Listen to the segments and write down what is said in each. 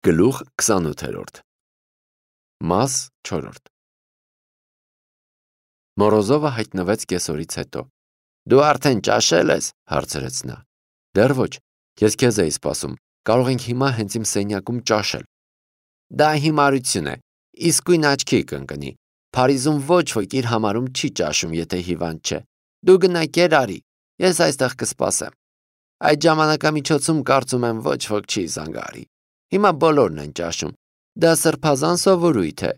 Գլուխ 28 Մաս 4 Մորոզովը հայտնվեց կեսօրից հետո։ Դու արդեն ճաշել ես, հարցրեց նա։ Դեռ ոչ, ես քեզ էի սպասում, կարող ենք հիմա հենց իմ սենյակում ճաշել։ Դա հիմարություն է, իսկույն աչքի կընկնի։ Փարիզում ոչ ոք իր համարում չի ճաշում, եթե հիվանդ չէ։ Դու գնա կեր արի, ես այստեղ կսպասեմ։ Այդ ժամանակամիջոցում կարծում եմ ոչ ոք չի զանգարի։ Հիմա բոլորն են ճաշում։ Դա սրբազան սովորույթ է։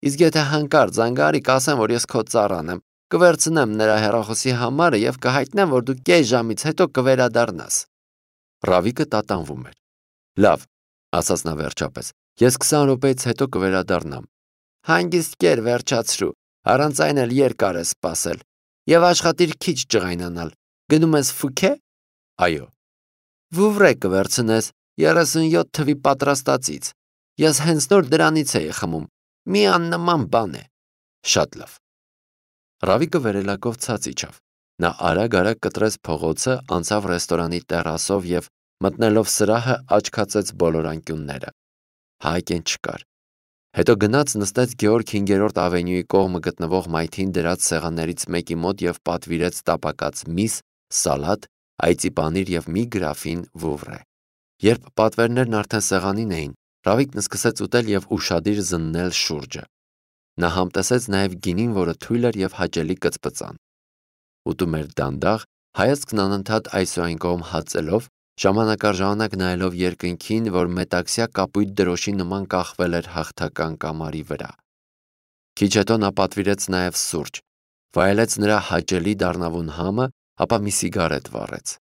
Իսկ եթե հանկարծ զանգարի, կասեմ, որ ես քո ծառան եմ, կվերցնեմ նրա հեռախոսի համարը եւ կհայտնեմ, որ դու կես ժամից հետո կվերադառնաս։ Ռավիկը տատանվում էր։ Լավ, ասաց նա վերջապես։ Ես 20 րոպեից հետո կվերադառնամ։ Հանգիստ կեր վերջացրու, առանց այն էլ երկար է սպասել։ Եվ աշխատիր քիչ ջղայնանալ։ Գնում ես Ֆուքե։ Այո։ Վուվրե կվերցնես 37 թվի պատրաստածից։ Ես հենց նոր դրանից էի խմում։ Մի աննման բան է։ Շատ լավ։ Ռավիկը վերելակով ցած իջավ։ Նա արագ կտրեց փողոցը, անցավ ռեստորանի տերասով եւ մտնելով սրահը աչքացեց բոլոր անկյունները։ Հայկեն չկար։ Հետո գնաց նստեց Գեորգ 5-րդ ավենյուի կողմը գտնվող մայթին դրած սեղաններից մեկի մոտ եւ պատվիրեց տապակած միս, սալատ, այծի պանիր եւ մի գրաֆին վուվրե։ Երբ պատվերներն արդեն սեղանին էին, Ռավիկն սկսեց ուտել եւ ուշադիր զննել շուրջը։ Նա համտեսեց նաեւ գինին, որը թույլ էր եւ հաճելի կծպծան։ Ուտում էր դանդաղ, հայացքն անընդհատ այսուայն կողմ հացելով, ժամանակ առ ժամանակ նայելով երկնքին, որ մետաքսյա կապույտ դրոշի նման կախվել էր հաղթական կամարի վրա։ Քիչ հետո նա պատվիրեց նաեւ սուրճ, վայելեց նրա հաճելի դառնավուն համը, ապա մի սիգարետ վառեց։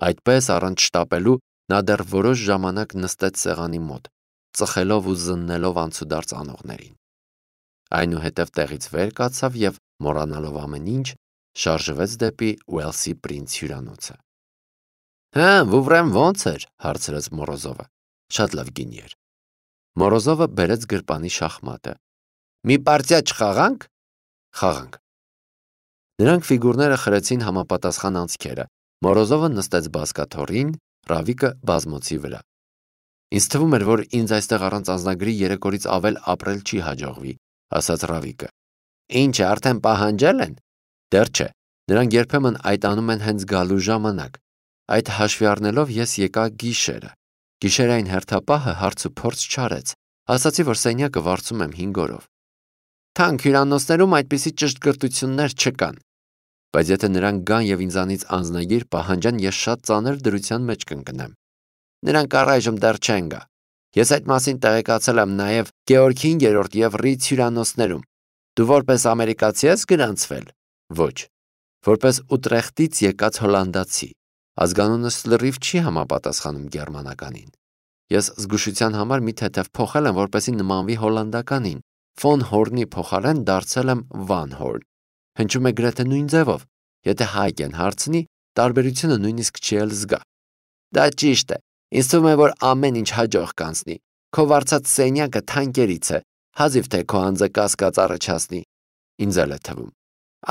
Այդպես առանց շտապելու նա դեռ որոշ ժամանակ նստեց սեղանի մոտ, ծխելով ու զննելով անցուդարձ անողներին։ Այնուհետև տեղից վեր կացավ եւ, մոռանալով ամեն ինչ, շարժվեց դեպի Ուելսի Պրինց հյուրանոցը։ Հա, Վուվրեն ո՞նց էր, հարցրեց Մորոզովը։ Շատ լավ գինի էր։ Մորոզովը բերեց գրպանի շախմատը։ Մի պարտիա չխաղանք։ Խաղանք։ Նրանք ֆիգուրները խրեցին համապատասխան անցքերը։ Մորոզովը նստեց բազկաթոռին, Ռավիկը բազմոցի վրա։ Ինձ թվում էր, որ ինձ այստեղ առանց անձնագրի 3 օրից ավել ապրել չի հաջողվի, ասաց Ռավիկը։ Ինչ, արդեն պահանջել են։ Դեռ չէ։ Նրանք երբեմն այդ անում են հենց գալու ժամանակ։ Այդ հաշվի առնելով ես եկա գիշերը։ Գիշերային հերթապահը հարց ու փորձ չարեց։ Ասացի, որ սենյակը վարձում եմ 5 օրով։ Թանկ հյուրանոցներում այդպիսի ճշտկրտություններ չկան։ Բայց եթե նրանք գան եւ ինձանից անձնագիր պահանջան, ես շատ ծանր դրության մեջ կընկնեմ։ Նրանք առայժմ դեռ չեն գա։ Ես այդ մասին տեղեկացել եմ նաեւ Գեորգ 5-րդ եւ Ռից հյուրանոցներում։ Դու որպես ամերիկացի ես գրանցվել։ Ոչ։ Որպես Ուտրեխտից եկած հոլանդացի։ Ազգանունս լրիվ չի համապատասխանում գերմանականին։ Ես զգուշության համար մի թեթև փոխել եմ, որպեսզի նմանվի հոլանդականին։ Ֆոն Հորնի փոխարեն դարձել եմ Վան Հորն։ Հնչում է գրեթե նույն ձևով։ Եթե Հայկեն հարցնի, տարբերությունը նույնիսկ չի էլ զգա։ Դա ճիշտ է։ Ինձ թվում է, որ ամեն ինչ հաջող կանցնի։ Քո վարձած սենյակը թանկերից է։ Հազիվ թե քո անձը կասկած առաջացնի։ Ինձ էլ է թվում։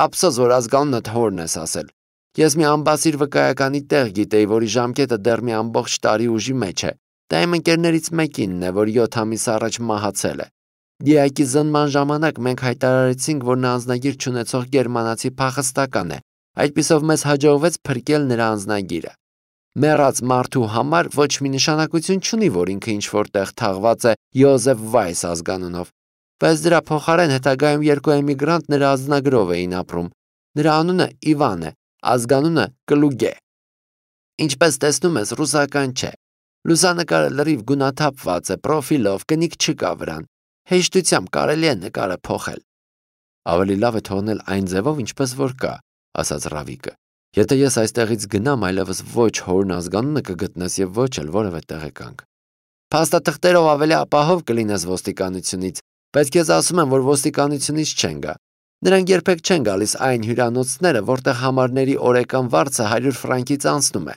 Ափսոս, որ ազգանունդ Հորն ես ասել։ Ես մի ամբասիր վկայականի տեղ գիտեի, որի ժամկետը դեռ մի ամբողջ տարի ուժի մեջ է։ Դա իմ ընկերներից մեկինն է, որ 7 ամիս առաջ մահացել է։ Դիակի զնման ժամանակ մենք հայտարարեցինք, որ նա անձնագիր չունեցող գերմանացի փախստական է։ Այդպիսով մեզ հաջողվեց փրկել նրա անձնագիրը։ Մեռած մարդու համար ոչ մի նշանակություն չունի, որ ինքը ինչ-որ տեղ թաղված է Յոզեֆ Վայս ազգանունով։ Բայց դրա փոխարեն հետագայում 2 էմիգրանտ նրա անձնագրով էին ապրում։ Նրա անունը Իվան է, ազգանունը Կլուգե։ Ինչպես տեսնում ես, ռուսական չէ։ Լուսանկարը լրիվ գունաթափված է, պրոֆիլով, կնիկ չկա վրան։ Հեշտությամբ կարելի է նկարը փոխել։ Ավելի լավ է թողնել այն ձևով, ինչպես որ կա, ասաց Ռավիկը։ Եթե ես այստեղից գնամ, այլևս ոչ Հորն ազգանունը կգտնես եւ ոչ էլ որևէ տեղեկանք։ Փաստաթղթերով ավելի ապահով կլինես ոստիկանությունից, բայց քեզ ասում եմ, որ ոստիկանությունից չեն գա։ Նրանք երբեք չեն գալիս այն հյուրանոցները, որտեղ համարների օրեկան վարձը 100 ֆրանկից անցնում է։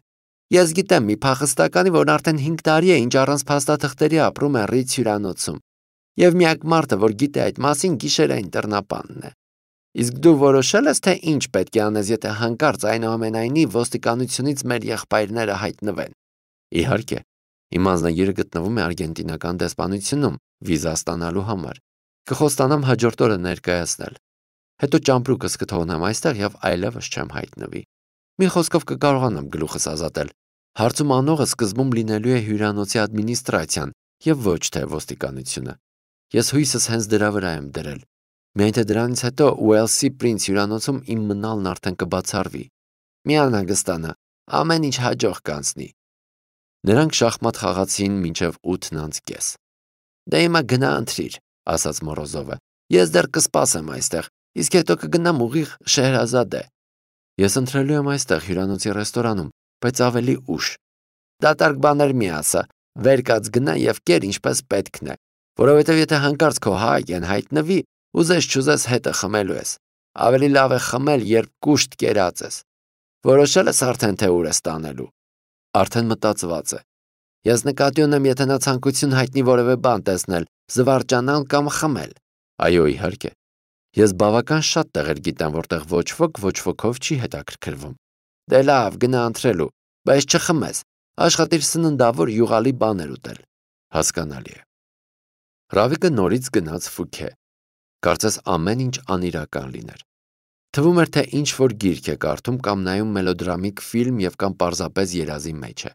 Ես գիտեմ մի փախստականի, որն արդեն 5 տարի է, ինչ առանց փաստաթղթերի ապրում է Ռից հյուրանոցում։ Եվ միակ մարդը, որ գիտե այդ մասին, գիշերային տրնապանն է։ Իսկ դու որոշել ես, թե ինչ պետք է անես, եթե հանկարծ այնուամենայնիվ ոստիկանությունից մեր եղբայրները հայտնվեն։ Իհարկե, Իմ անձնագիրը գտնվում է արգենտինական դեսպանությունում վիզա ստանալու համար։ Կխոստանամ հաջորդ օրը ներկայացնել։ Հետո ճամպրուկս կթողնեմ այստեղ եւ այլևս չեմ հայտնվի։ Մի խոսքով կկարողանամ գլուխս ազատել։ Հարցում անողը սկզբում լինելու է հյուրանոցի ադմինիստրացիան եւ ոչ թե ոստիկանությունը։ Ես հույսս հենց դրա վրա եմ դրել։ Միայն թե դրանից հետո Ուելսի Պրինց հյուրանոցում իմ մնալն արդեն կբացառվի։ Մի անհանգստանա, ամեն ինչ հաջող կանցնի։ Նրանք շախմատ խաղացին մինչև 8:30։ Դե հիմա գնա ընթրիր, ասաց Մորոզովը։ Ես դեռ կսպասեմ այստեղ, իսկ հետո կգնամ ուղիղ Շեհրազադե։ Ես ընթրելու եմ այստեղ հյուրանոցի ռեստորանում, բայց ավելի ուշ։ Դատարկ բաներ մի ասա, վեր կաց գնա եւ կեր ինչպես պետքն է, որովհետեւ եթե հանկարծ քո հայկեն հայտնվի, ուզես չուզես հետը խմելու ես։ Ավելի լավ է խմել, երբ կուշտ կերած ես։ Որոշել ես արդեն թե ուր ես տանելու։ Արդեն մտածված է։ Ես նկատի ունեմ, եթե նա ցանկություն հայտնի որևէ բան տեսնել, զվարճանալ կամ խմել։ Այո, իհարկե։ Ես բավական շատ տեղեր գիտեմ, որտեղ ոչ ոքով չի հետաքրքրվում։ Դե լավ, գնա ընթրելու, բայց չխմես։ Աշխատիր սննդավոր յուղալի բաներ ուտել։ Հասկանալի է։ Ռավիկը նորից գնաց Ֆուքե։ Կարծես ամեն ինչ անիրական լիներ։ Թվում էր, թե ինչ-որ գիրք է կարդում կամ նայում մելոդրամիկ ֆիլմ եւ կամ պարզապես երազի մեջ է։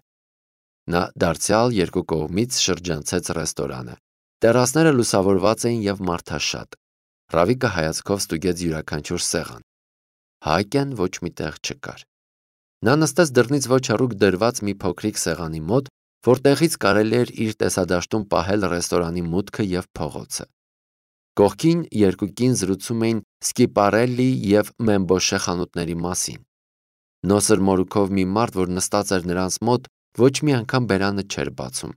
Նա դարձյալ երկու կողմից շրջանցեց ռեստորանը։ Տերասները լուսավորված էին եւ մարդաշատ։ Ռավիկը հայացքով ստուգեց յուրաքանչյուր սեղան։ Հայկեն ոչ միտեղ չկար։ Նա նստեց դռնից ոչ հեռու դրված մի փոքրիկ սեղանի մոտ, որտեղից կարելի էր իր տեսադաշտում պահել ռեստորանի մուտքը եւ փողոցը։ Կողքին երկու կին զրուցում էին Սկիպարելլի եւ Մեմբոշե խանութների մասին։ Նոսր մորուքով մի մարդ, որ նստած էր նրանց մոտ, ոչ մի անգամ բերանը չէր բացում։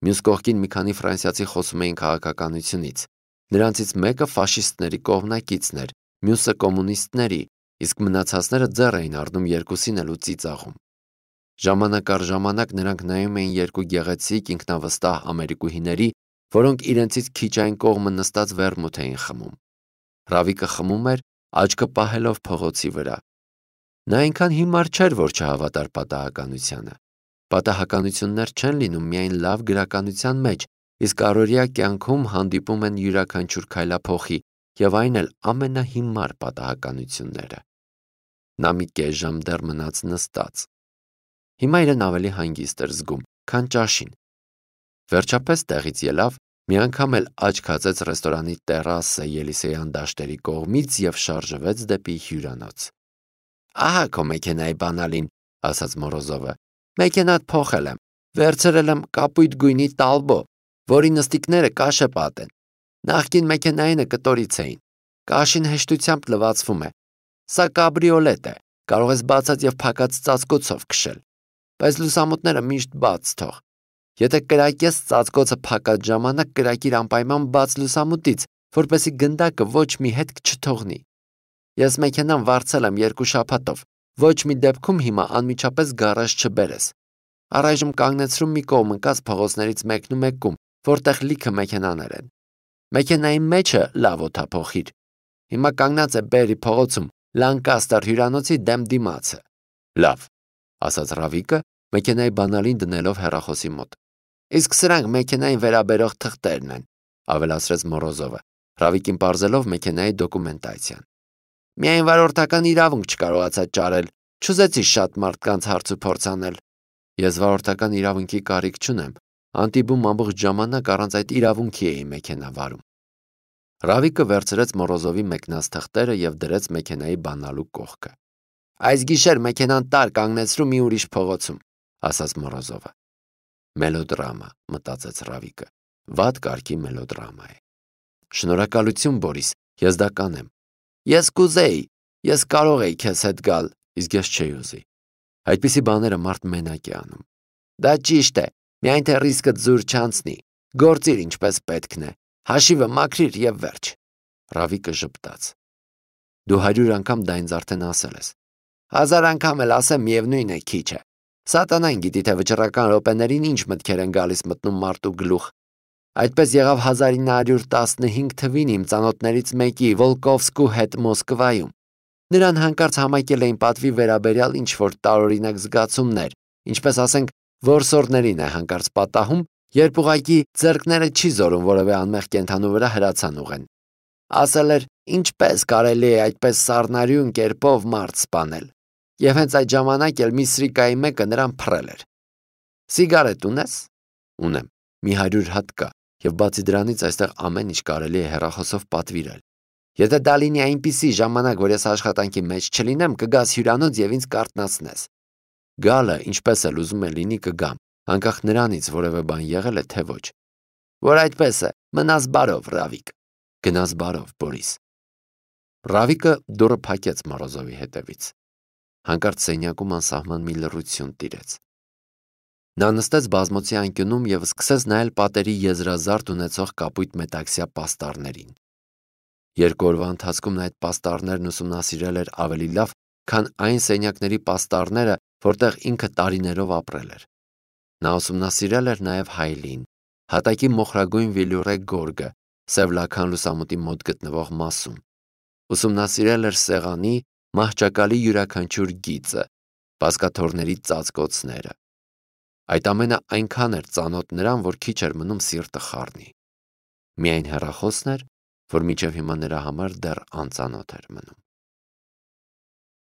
Մյուս կողքին մի քանի ֆրանսիացի խոսում էին քաղաքականությունից։ Նրանցից մեկը ֆաշիստների կողմնակիցն էր, մյուսը կոմունիստների, իսկ մնացածները ձեռ էին առնում երկուսին էլ ու ծիծաղում։ Ժամանակ առ ժամանակ նրանք նայում էին երկու գեղեցիկ ինքնավստահ ամերիկուհիների, որոնք իրենցից քիչ այն կողմը նստած վերմուտ էին խմում։ Ռավիկը խմում էր, աչքը պահելով փողոցի վրա։ Նա այնքան հիմար չէր, որ չհավատար պատահականությանը։ Պատահականություններ չեն լինում միայն լավ գրականության մեջ, իսկ առօրյա կյանքում հանդիպում են յուրաքանչյուր քայլափոխի եւ այն էլ ամենահիմար պատահականությունները։ Նա մի կես ժամ դեռ մնաց նստած։ Հիմա իրեն ավելի հանգիստ էր զգում, քան ճաշին։ Վերջապես տեղից ելավ, մի անգամ էլ աչք հացեց ռեստորանի տերասը Ելիսեյան դաշտերի կողմից եւ շարժվեց դեպի հյուրանոց։ Ահա քո մեքենայի բանալին, ասաց Մորոզովը։ Մեքենատ փոխել եմ, վերցրել եմ կապույտ գույնի տալբո, որի նստիկները կաշեպատ են։ Նախկին մեքենայինը կտորից էին։ Կաշին հեշտությամբ լվացվում է։ Սա կաբրիոլետ է, կարող ես բացած եւ փակած ծածկոցով քշել։ Բայց լուսամուտները միշտ բաց թող։ Եթե կրակես ծածկոցը փակած ժամանակ կրակիր անպայման բաց լուսամուտից, որպեսզի գնդակը ոչ մի հետք չթողնի։ Ես մեքենան վարձել եմ 2 շաբաթով։ Ոչ մի դեպքում հիմա անմիջապես գարաժ չբերես։ Առայժմ կանգնեցրում մի կողմ ընկած փողոցներից մեկնում, որտեղ լիքը մեքենաներ են։ Մեքենայի մեջը լավ օդափոխիր։ Հիմա կանգնած է Բերի փողոցում, Լանկաստեր հյուրանոցի դեմ դիմացը։ Լավ, ասաց Ռավիկը, մեքենայի բանալին դնելով հեռախոսի մոտ։ Իսկ սրանք մեքենային վերաբերող թղթերն են, ավելացրեց Մորոզովը, Ռավիկին պարզելով մեքենայի դոկումենտացիան։ Միայն վարորդական իրավունք չկարողացա ճարել, չուզեցի շատ մարդկանց հարց ու փորձ անել։ Ես վարորդական իրավունքի կարիք չունեմ, Անտիբում ամբողջ ժամանակ առանց այդ իրավունքի էի մեքենա վարում։ Ռավիկը վերցրեց Մորոզովի մեկնած թղթերը եւ դրեց մեքենայի բանալու կողքը։ Այս գիշեր մեքենան տար կանգնեցրու մի ուրիշ փողոցում, ասաց Մորոզովը։ Մելոդրամա, մտածեց Ռավիկը։ Վատ կարգի մելոդրամա է։ Շնորհակալություն, Բորիս, ես դա կանեմ։ Ես կուզեի, ես կարող էի քեզ հետ գալ, իսկ ես չէի ուզի։ Այդպիսի բաները մարդ մենակ է անում։ Դա ճիշտ է, միայն թե ռիսկը զուր չանցնի։ Գործիր ինչպես պետքն է։ Հաշիվը մաքրիր եւ վերջ։ Ռավիկը ժպտաց։ Դու 100 անգամ դա ինձ արդեն ասել ես։ 1000 անգամ էլ ասեմ, միևնույն է, քիչ է։ Սատանան գիտի, թե վճռական րոպեներին ինչ մտքեր են գալիս մտնում մարդու գլուխ։ Այդպես եղավ 1915 թվին իմ ծանոթներից մեկի Վոլկովսկու հետ Մոսկվայում։ Նրան հանկարծ համակել էին պատվի վերաբերյալ ինչ-որ տարօրինակ զգացումներ, ինչպես ասենք որսորդներին է հանկարծ պատահում, երբ ուղղակի ձեռքները չի զորում որևէ անմեղ կենդանու վրա հրացան ուղղեն։ Ասել էր, ինչպես կարելի է այդպես սառնարյուն կերպով մարդ սպանել։ Եվ հենց այդ ժամանակ էլ մի սրիկայի մեկը նրան փռել էր։ Սիգարետ ունես։ Ունեմ։ Մի 100 հատ կա, եւ բացի դրանից այստեղ ամեն ինչ կարելի է հեռախոսով պատվիրել։ Եթե դա լինի այնպիսի ժամանակ, որ ես աշխատանքի մեջ չլինեմ, կգաս հյուրանոց եւ ինձ կարտնացնես։ Գալը, ինչպես էլ ուզում է լինի, կգամ, անկախ նրանից որևէ բան եղել է թե ոչ։ Որ այդպես է, մնաս բարով, Ռավիկ։ Գնաս բարով, Բորիս։ Ռավիկը դուռը փակեց Մորոզովի հետևից։ Հանկարծ սենյակում անսահման մի լռություն տիրեց։ Նա նստեց բազմոցի անկյունում եւ սկսեց նայել պատերի եզրազարդ ունեցող կապույտ մետաքսյա պաստառներին։ 2 օրվա ընթացքում նա այդ պաստառներն ուսումնասիրել էր ավելի լավ, քան այն սենյակների պաստառները, որտեղ ինքը տարիներով ապրել էր։ Նա ուսումնասիրել էր նաև հայլին, հատակի մոխրագույն վիլյուրե գորգը, սև լաքան լուսամուտի մոտ գտնվող մասում։ Ուսումնասիրել էր սեղանի, մահճակալի յուրաքանչյուր գիծը, բազկաթոռների ծածկոցները։ Այդ ամենը այնքան էր ծանոթ նրան, որ քիչ էր մնում սիրտը խառնի։ Միայն հեռախոսն էր, որ մինչև հիմա նրա համար դեռ անծանոթ էր մնում։